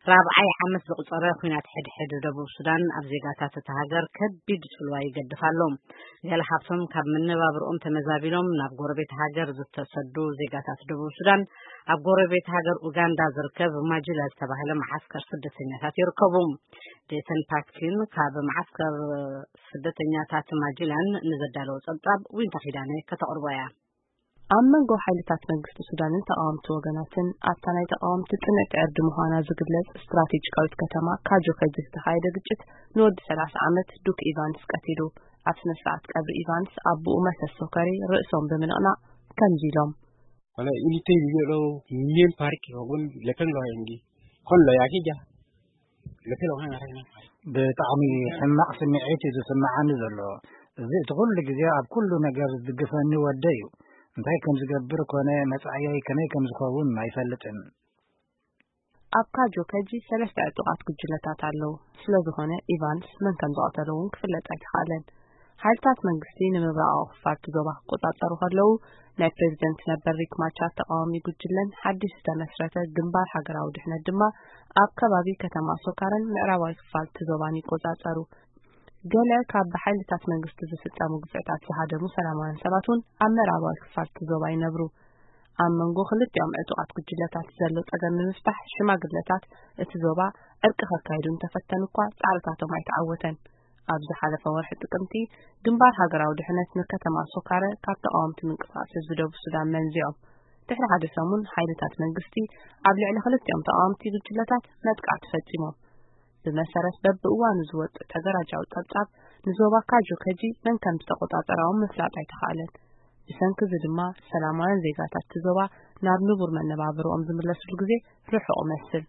ራብዓይ ዓመት ዘቑጸረ ኲናት ሕድሕድ ደቡብ ሱዳን ኣብ ዜጋታት እታ ሃገር ከቢድ ጽልዋ ይገድፍ ኣሎ። ገለ ካብቶም ካብ መነባብርኦም ተመዛቢሎም ናብ ጎረቤት ሃገር ዝተሰዱ ዜጋታት ደቡብ ሱዳን፣ ኣብ ጎረቤት ሃገር ኡጋንዳ ዝርከብ ማጁላ ዝተባህለ መዓስከር ስደተኛታት ይርከቡ። ጄሰን ፓክቲን ካብ መዓስከር ስደተኛታት ማጁላን ንዘዳለወ ጸብጻብ ዊንታ ኪዳነ ከተቕርቦ እያ። ኣብ መንጎ ሓይልታት መንግስቲ ሱዳንን ተቓወምቲ ወገናትን ኣብታ ናይ ተቓወምቲ ጽንዕቲ ዕርዲ ምዃና ዝግለጽ ስትራቴጂካዊት ከተማ ካጆ ከጂ ዝተኻየደ ግጭት ንወዲ ሰላሳ ዓመት ዱክ ኢቫንስ ቀቲሉ። ኣብ ስነ ስርዓት ቀብሪ ኢቫንስ ኣቦኡ መሰስ ሶከሪ ርእሶም ብምንቕናቕ ከምዚ ኢሎም። Wala unité yolo mien park wagun lepen lo yengi kon lo yaki ja lepen lo kan ngara. ብጣዕሚ ሕማቕ ስምዒት እዩ ዝስምዓኒ ዘሎ። እዚ እቲ ኩሉ ግዜ ኣብ ኩሉ ነገር ዝድግፈኒ ወደይ እዩ። እንታይ ከም ዝገብር ኮነ መጻእየይ ከመይ ከም ዝኸውን ኣይፈልጥን። ኣብ ካጆ ከጂ ሰለስተ ዕጡቓት ጉጅለታት ኣለዉ። ስለ ዝኾነ ኢቫንስ መን ከም ዝቐተሎ እውን ክፍለጥ ኣይተኻእለን። ሓይልታት መንግስቲ ንምብራቓዊ ክፋል እቲ ዞባ ክቆጻጸሩ ከለዉ፣ ናይ ፕሬዚደንት ነበር ሪክ ማቻር ተቓዋሚ ጉጅለን ሓድሽ ዝተመስረተ ግንባር ሃገራዊ ድሕነት ድማ ኣብ ከባቢ ከተማ ሶካረን ምዕራባዊ ክፋል እቲ ዞባን ይቆጻጸሩ። ገለ ካብ ብሓይልታት መንግስቲ ዝፍጸሙ ግፍዕታት ዝሃደሙ ሰላማውያን ሰባት እውን ኣብ ምዕራባዊ ክፋል እቲ ዞባ ይነብሩ። ኣብ መንጎ ክልቲኦም ዕጡቓት ጉጅለታት ዘሎ ጸገም ንምፍታሕ ሽማግለታት እቲ ዞባ ዕርቂ ከካይዱ እንተፈተኑ እኳ ጻዕርታቶም ኣይተዓወተን። ኣብ ዝሓለፈ ወርሒ ጥቅምቲ ግንባር ሃገራዊ ድሕነት ንከተማ ሶካረ ካብ ተቓወምቲ ምንቅስቃስ ህዝቢ ደቡብ ሱዳን መንዚዖም። ድሕሪ ሓደ ሰሙን ሓይልታት መንግስቲ ኣብ ልዕሊ ክልቲኦም ተቓወምቲ ጉጅለታት መጥቃዕቲ ፈጺሞም። ብመሰረት በብእዋኑ ዝወጽእ ተገራጃዊ ጸብጻብ ንዞባ ካጆ ከጂ መን ከም ዝተቆጻጸራዎም ምፍላጥ ኣይተኻእለን። ብሰንኪ እዚ ድማ ሰላማውያን ዜጋታት እቲ ዞባ ናብ ንቡር መነባብርኦም ዝምለስሉ ግዜ ርሑቕ ይመስል።